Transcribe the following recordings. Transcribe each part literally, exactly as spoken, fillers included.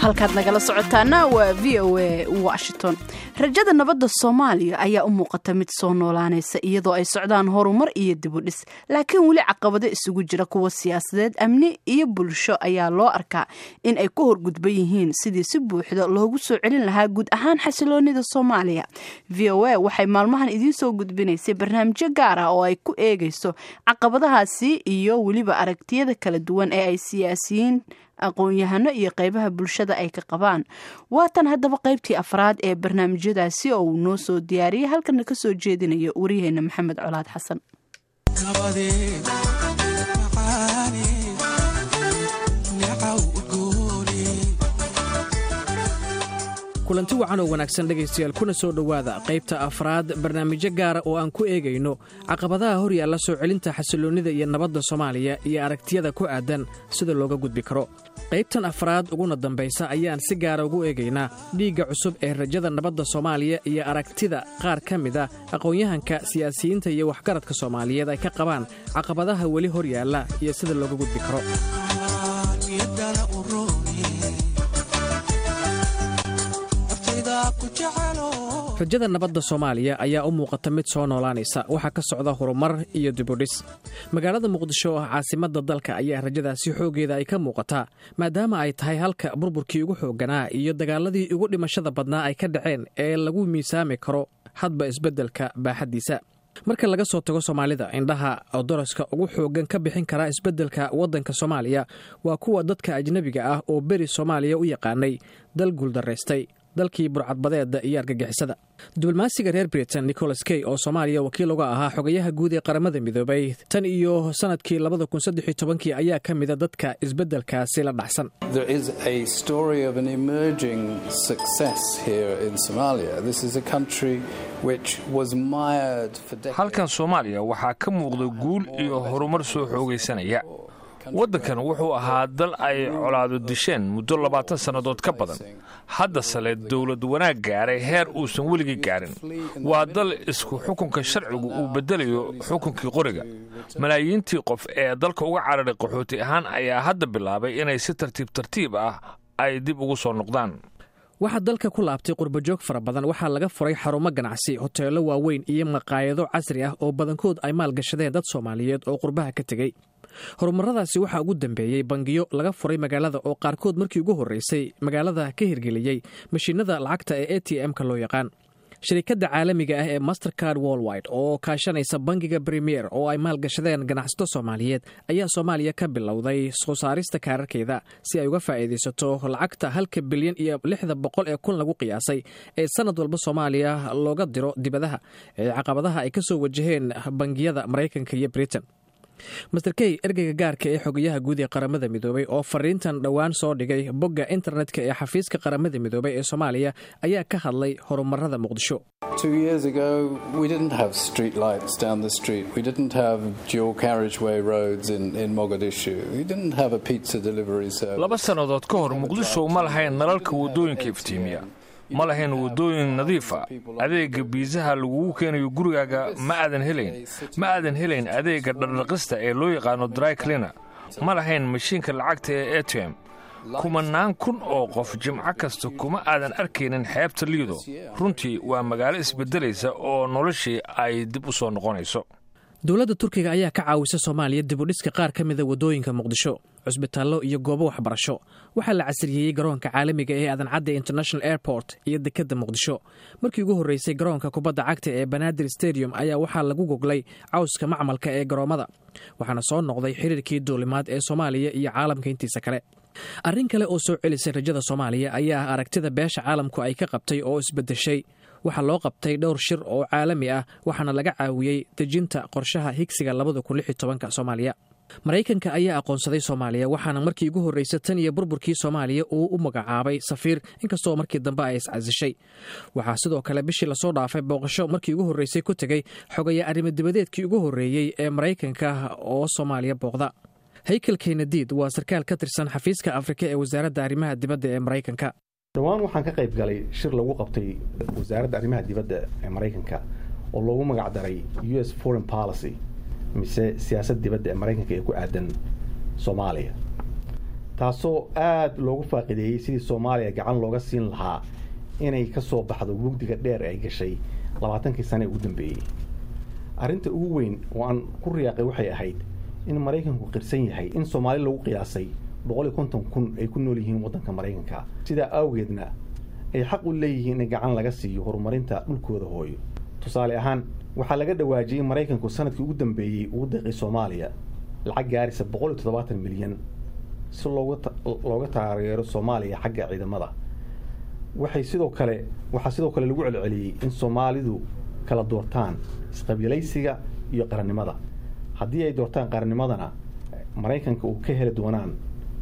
Halkaad nagala socotaana waa V O A Washington. Rajada nabadda Soomaaliya ayaa u muuqata mid soo noolaanaysa, iyadoo ay socdaan horumar iyo dibudhis, laakiin weli caqabado isugu jira kuwa siyaasadeed, amni iyo bulsho ayaa loo arkaa in ay ku horgudban yihiin sidii si buuxda loogu soo celin lahaa guud ahaan xasiloonida Soomaaliya. V O A waxay maalmahan idiin soo gudbinaysay barnaamijyo gaar ah oo ay ku eegayso caqabadahaasi iyo weliba aragtiyada kala duwan ee ay siyaasiyiin, aqoon-yahano iyo qeybaha bulshada ay ka qabaan. Waatan haddaba qeybtii afraad ee barnaamijyadaasi oo uu noo soo diyaariyey, halkana kasoo jeedinayo wariyaheena Maxamed Colaad Xasan. Kulanti wacan oo wanaagsan, dhegaystayaal, kuna soo dhowaada qaybta afraad barnaamijyo gaara oo aan ku eegayno caqabadaha hor yaalla soo celinta xasilloonnida iyo nabadda Soomaaliya iyo aragtiyada ku aaddan sida looga gudbi karo. Qaybtan afraad uguna dambaysa ayaan si gaara ugu eegaynaa dhiigga cusub ee rajada nabadda Soomaaliya iyo aragtida qaar ka mid a aqoon-yahanka, siyaasiyiinta iyo waxgaradka Soomaaliyeed ay ka qabaan caqabadaha weli hor yaalla iyo sida looga gudbi karo. Rajada nabadda Soomaaliya ayaa u muuqata mid soo noolaanaysa. Waxaa ka socda horumar iyo dibudhis. Magaalada Muqdisho oo ah caasimadda dalka ayaa rajadaasi xooggeeda ay ka muuqataa, maadaama ay tahay halka burburkii ugu xoogganaa iyo dagaaladii ugu dhimashada badnaa ay ka dhaceen ee lagu miisaami karo hadba isbeddelka baaxaddiisa. Marka laga soo tago Soomaalida, indhaha doroska ugu xooggan ka bixin kara isbeddelka waddanka Soomaaliya waa kuwa dadka ajnebiga ah oo beri Soomaaliya u yaqaanay dal guuldaraystay, dalkii burcadbadeeda iyo argagixisada. Diblomaasiga reer Britain Nicholas Kay, oo Soomaaliya wakiil uga ahaa xogayaha guud ee Qaramada Midoobay tan iyo sanadkii labada kun saddex iyo tobankii, ayaa ka mida dadka isbeddelkaasi la dhacsan. There is a story of an emerging success here in Somalia. This is a country which was mired for decades. Halkan Soomaaliya waxaa ka muuqda guul iyo horumar soo xoogaysanaya. Waddankan wuxuu ahaa dal ay colaadu disheen muddo labaatan sannadood ka badan. Haddase le dowlad wanaag gaaray heer uusan weligii gaarin. Waa dal isku xukunka sharcigu uu beddelayo xukunkii qoriga. Malaayiintii qof ee dalka uga cararay qaxooti ahaan ayaa hadda bilaabay inay si tartiib tartiib ah ay dib ugu soo noqdaan. Waxaa dalka ku laabtay qurbajoog fara badan. Waxaa laga furay xarumo ganacsi, hoteello waaweyn iyo maqaayado casri ah oo badankood ay maalgashadeen dad Soomaaliyeed oo qurbaha ka tegey. Horumaradaasi waxaa ugu dambeeyey bangiyo laga furay magaalada oo qaarkood markii ugu horreysay magaalada ka hirgeliyey mashiinada lacagta ee A T M-ka loo yaqaan. Shirikadda caalamiga ah ee Mastercard Worldwide oo kaashanaysa bangiga Premier oo ay maalgashadeen ganacsato Soomaaliyeed ayaa Soomaaliya ka bilowday soo saarista kaararkeeda si ay uga faa'iidaysato lacagta halka bilyan iyo lixda boqol ee kun lagu qiyaasay ee sanad walba Soomaaliya looga diro dibadaha ee caqabadaha ay ka soo wajaheen bangiyada Maraykanka iyo Britain. Mister Kay, ergeyga gaarka ee xogayaha guud ee Qaramada Midoobay, oo fariintan dhowaan soo dhigay bogga internetka ee xafiiska Qaramada Midoobay ee Soomaaliya, ayaa ka hadlay horumarada Muqdisho. Two years ago, we didn't have street lights down the street. We didn't have dual carriageway roads in, in Mogadishu. We didn't have a pizza delivery service. Laba sannadood ka hor, Muqdisho ma lahayn nalalka waddooyinka iftiimiya, ma lahayn waddooyin nadiifa, adeega biisaha lagugu keenayo gurigaaga ma aadan helayn, ma aadan helayn adeega dhardhaqista ee loo yaqaano dry cleaner, ma lahayn mashiinka lacagta ee A T M. Kumanaan kun oo qof jimco kasta kuma aadan arkaynin xeebta Liido. Runtii waa magaalo isbeddelaysa oo noloshii ay dib u soo noqonayso. Dowladda Turkiga ayaa ka caawisa Soomaaliya dibudhiska qaar ka mida waddooyinka Muqdisho, cusbitaallo iyo goobo waxbarasho. Waxaa la casriyeeyey garoonka caalamiga ee Aadan Cadde International Airport iyo dekedda Muqdisho. Markii ugu horreysay, garoonka kubadda cagta ee Banaadir Stadium ayaa waxaa lagu goglay cawska macmalka ee garoommada, waxaana soo noqday xiriirkii duulimaad ee Soomaaliya iyo caalamka intiisa kale. Arrin kale oo soo celisay rajada Soomaaliya ayaa ah aragtida beesha caalamku ay ka qabtay oo isbeddeshay. Waxaa loo qabtay dhowr shir oo caalami ah, waxaana laga caawiyey dejinta qorshaha higsiga labada kun lix iyo tobanka Soomaaliya. Maraykanka ayaa aqoonsaday Soomaaliya, waxaana markii ugu horreysay tan iyo burburkii Soomaaliya uu u magacaabay safiir, inkastoo markii dambe ay iscasishay. Waxaa sidoo kale bishii lasoo dhaafay booqasho markii ugu horreysay ku tegey xogaya arrimo dibadeedkii ugu horreeyey ee Maraykanka oo Soomaaliya booqda. Haykel Kenadiid waa sarkaal ka tirsan xafiiska Afrika ee Wasaaradda Arrimaha Dibadda ee Maraykanka. Dhowaan waxaan ka qayb galay shir lagu qabtay Wasaaradda Arrimaha Dibadda ee Maraykanka oo loogu magac daray U S foreign policy, mise siyaasad dibadda ee Maraykanka ee ku aadan Soomaaliya. Taasoo aada loogu faaqideeyey sidii Soomaaliya gacan looga siin lahaa inay ka soo baxdo mugdiga dheer ay gashay labaatankii sane ee ugu dambeeyey. Arrinta ugu weyn oo aan ku riyaaqay waxay ahayd in Maraykanku qirsan yahay in Soomaali lagu qiyaasay boqol iyo konton kun ay ku nool yihiin waddanka Maraykanka, sidaa awgeedna ay xaq u leeyihiin in gacan laga siiyo horumarinta dhulkooda hooyo. Tusaale ahaan, waxaa laga dhawaajiyey in Maraykanku sanadkii ugu dambeeyey ugu deeqay Soomaaliya lacag gaaraysa boqol iyo toddobaatan milyan si looga looga taageero Soomaaliya xagga ciidamada. Waxay sidoo kale waxaa sidoo kale lagu celceliyey in Soomaalidu kala doortaan isqabiilaysiga iyo qarannimada. Haddii ay doortaan qarannimadana, Maraykanka uu ka heli doonaan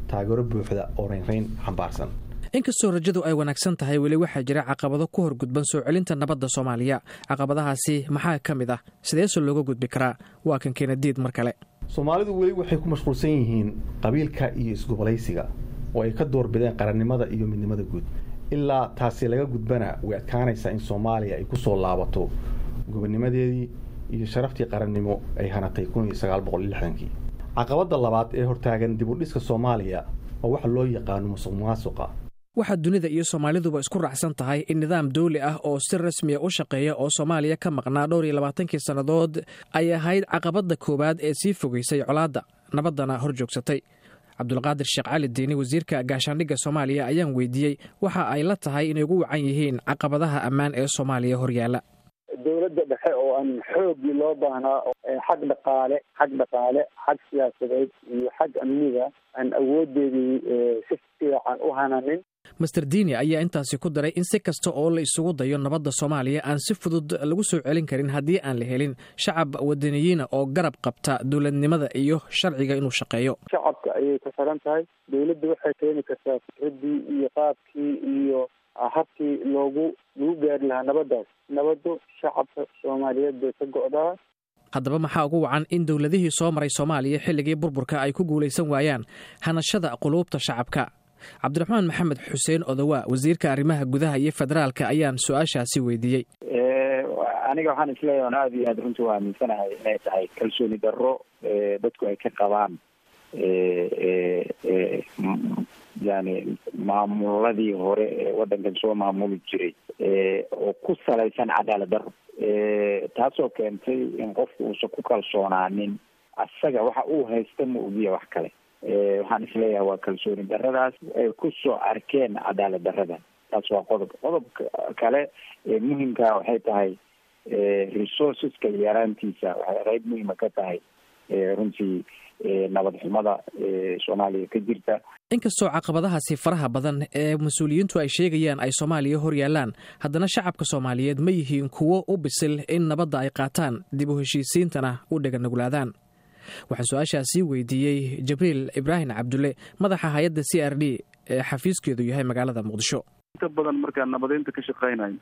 taageero buuxda oo reynreyn xambaarsan. Inkastoo rajadu ay wanaagsan tahay, weli waxaa jira caqabado ku horgudban soo celinta nabadda Soomaaliya. Caqabadahaasi maxaa ka mid ah? Sideese looga gudbi karaa? Waa kan Keenadiid mar kale. Soomaalidu weli waxay ku mashquulsan yihiin qabiilka iyo isgobolaysiga oo ay ka doorbideen qarannimada iyo midnimada guud. Ilaa taasi laga gudbana, way adkaanaysaa in Soomaaliya ay ku soo laabato gobonimadeedii iyo sharaftii qarannimo ay hanatay kun iyo sagaal boqol iyo lixdankii. Caqabadda labaad ee hortaagan dib u dhiska Soomaaliya waa waxa loo yaqaano musuq maasuqa. Waxaa dunida iyo Soomaaliduba isku raacsan tahay in nidaam dawli ah oo si rasmiya u shaqeeya oo Soomaaliya ka maqnaa dhowr iyo labaatankii sannadood ay ahayd caqabadda koowaad ee sii fogeysay colaadda, nabaddana hor joogsatay. Cabdulqaadir Sheekh Cali Diini, wasiirka gaashaandhigga Soomaaliya, ayaan weydiiyey waxa ay la tahay inay ugu wacan yihiin caqabadaha ammaan ee Soomaaliya horyaalla. Dowladda dhexe oo aan xooggii loo baahnaa, xag dhaqaale, xag dhaqaale, xag siyaasadeed iyo xag amniga, aan awoodeedii si fiican u hananin. Mister Diini ayaa intaasi ku daray in si kasta oo la isugu dayo nabadda Soomaaliya aan si fudud lagu soo celin karin haddii aan la helin shacab wadaniyiina oo garab qabta dowladnimada iyo sharciga inuu shaqeeyo. Shacabka ayay ku xiran tahay. Dowladda waxay keeni kartaa fikraddii iyo qaabkii iyo habkii loogu lagu gaari lahaa nabaddaas. Nabaddu shacabka Soomaaliyeed bay ka go'daa. Haddaba, maxaa ugu wacan in dowladihii soo maray Soomaaliya xilligii burburka ay ku guulaysan waayaan hanashada quluubta shacabka? Cabdiraxmaan Maxamed Xuseen Odowa, wasiirka arrimaha gudaha iyo federaalka, ayaan su-aashaasi weydiiyey. Aniga waxaan isleeyahay on aada iyo aad runtii u aaminsanahay inay tahay kalsooni darro dadku ay ka qabaan yani maamuladii hore ee waddankan soo maamuli jiray oo ku salaysan cadaalad darro, taasoo keentay in qofku uusan ku kalsoonaanin asaga waxa uu haysta ma ogiya wax kale. Waxaan isleeyahay waa kalsooni darradaas ay kusoo arkeen cadaalad darrada. Taas waa qodob. Qodobka kale ee muhimkaa waxay tahay resourceska yaraantiisa. Waxay qeyb muhima ka tahay runtii nabad xumada Soomaaliya ka jirta. Inkastoo caqabadahaasi faraha badan ee mas-uuliyiintu ay sheegayaan ay Soomaaliya hor yaallaan, haddana shacabka Soomaaliyeed ma yihiin kuwo u bisil in nabadda ay qaataan, dib u heshiisiintana u dheganuglaadaan? Waxaan su-aashaasii weydiiyey Jibriil Ibraahim Cabdulle, madaxa hay-adda C R D ee xafiiskeedu yahay magaalada Muqdisho. Inta badan markaan nabadeynta ka shaqeynayo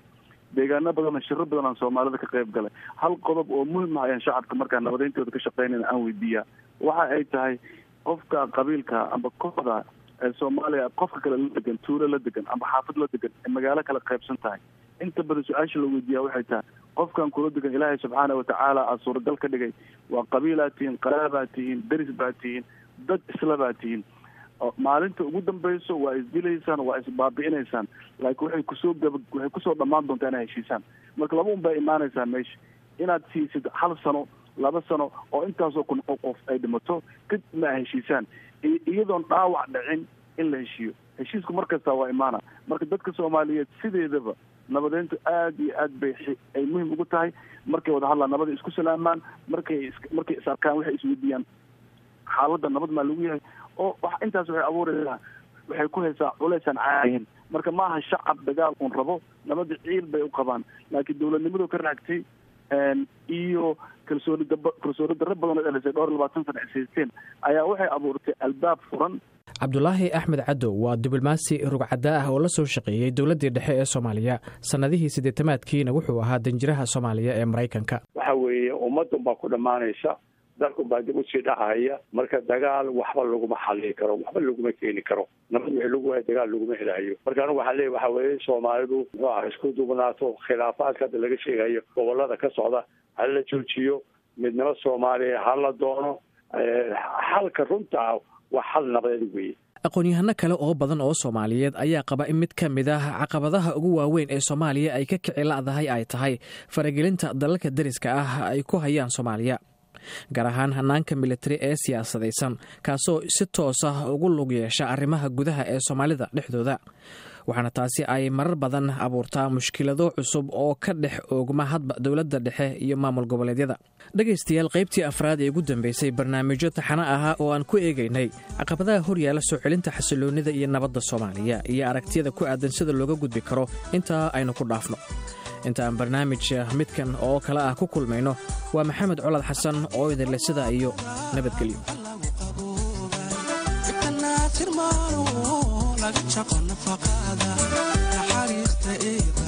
deegaano badan, shiro badan aan Soomaalida ka qayb galay, hal qodob oo muhim ah ayaan shacabka markaan nabadeyntooda ka shaqeynayna aan weydiiyaa. Waxa ay tahay, qofka qabiilka amba kooxda ee Soomaaliya qofka kale la degan, tuulo la degan amba xaafad la degan, ee magaalo kala qaybsan tahay, inta badan su-aasha la weydiiyaa waxay tahay: qofkan kula degan, Ilaahay subxaana watacaala aa suuragal ka dhigay, waa qabiilaa tihiin, qaraabaa tihiin, deris baa tihiin, dad isla baa tihiin, maalinta ugu dambayso waa isdilaysaan, waa isbaabi'inaysaan, laakiin waxay kusoo gaba waxay kusoo dhammaan doontaa inay heshiisaan. Marka laba un baa imaanaysaa meesha: inaad siisid hal sano, laba sano oo intaasoo kun oo qof ay dhimato, kadibna ay heshiisaan, iyadoon dhaawac dhicin in la heshiiyo. Heshiisku mar kasta waa imaana. Marka dadka Soomaaliyeed sideedaba nabadeyntu aad iyo aad bay ay muhim ugu tahay. Markay wada hadlaan, nabada isku salaamaan, markay markay is arkaan, waxay isweydiiyaan xaaladda nabad maa lagu yahay, oo wax intaas waxay abuuraysaa, waxay ku haysaa culaysaan caadihin. Marka maaha shacab dagaal un rabo, nabada ciil bay u qabaan, laakiin dowladnimadu ka raagtay iyo kalsooni dab kalsooni darro badan oo dhelisay dhowr iyo labaatan sana is haysteen ayaa waxay abuurtay albaab furan. Cabdulaahi Axmed Cadow waa diblomaasi rugcaddaa ah oo la soo shaqeeyey dowladdii dhexe ee Soomaaliya. Sannadihii siddeetamaadkiina wuxuu ahaa danjiraha Soomaaliya ee Maraykanka. Waxa weeye, ummadun baa ku dhammaanaysa, dalkun baa dib usii dhacaya. Marka dagaal waxba laguma xallin karo, waxba laguma keeni karo. Nabad wixii lagu waayo dagaal laguma helayo. Marka anigu waxaan leeyahy, waxa weeye, Soomaalidu muxuu aha isku duubnaato. Khilaafaadka hadda laga sheegayo gobolada ka socda ha la joojiyo. Midnimo Soomaaliya ha la doono. Xalka runta ah Waa xal nabadeed weeye. Aqoon-yahano kale oo badan oo Soomaaliyeed ayaa qaba in mid ka mid ah caqabadaha ugu waaweyn ee Soomaaliya ay ka kici la'dahay ay tahay faragelinta dalalka deriska ah ay ku hayaan Soomaaliya, gaar ahaan hanaanka militari ee siyaasadaysan, kaasoo si toos ah ugu lug yeesha arrimaha gudaha ee Soomaalida dhexdooda. Waxaana taasi ay marar badan abuurtaa mushkilado cusub oo ka dhex oogma hadba dowladda dhexe iyo maamul goboleedyada. Dhegaystayaal, qaybtii afraad ee ugu dambeysay barnaamijyo taxano ahaa oo aan ku eegaynay caqabadaha horyaala soo celinta xasiloonnida iyo nabadda Soomaaliya iyo aragtiyada ku aadan sida looga gudbi karo, intaa aynu ku dhaafno. Inta aan barnaamij midkan oo kale ah ku kulmayno, waa Maxamed Colad Xasan oo idinle sidaa iyo nabadgelyo. Laga jaqo nafaqada naxariista eeba.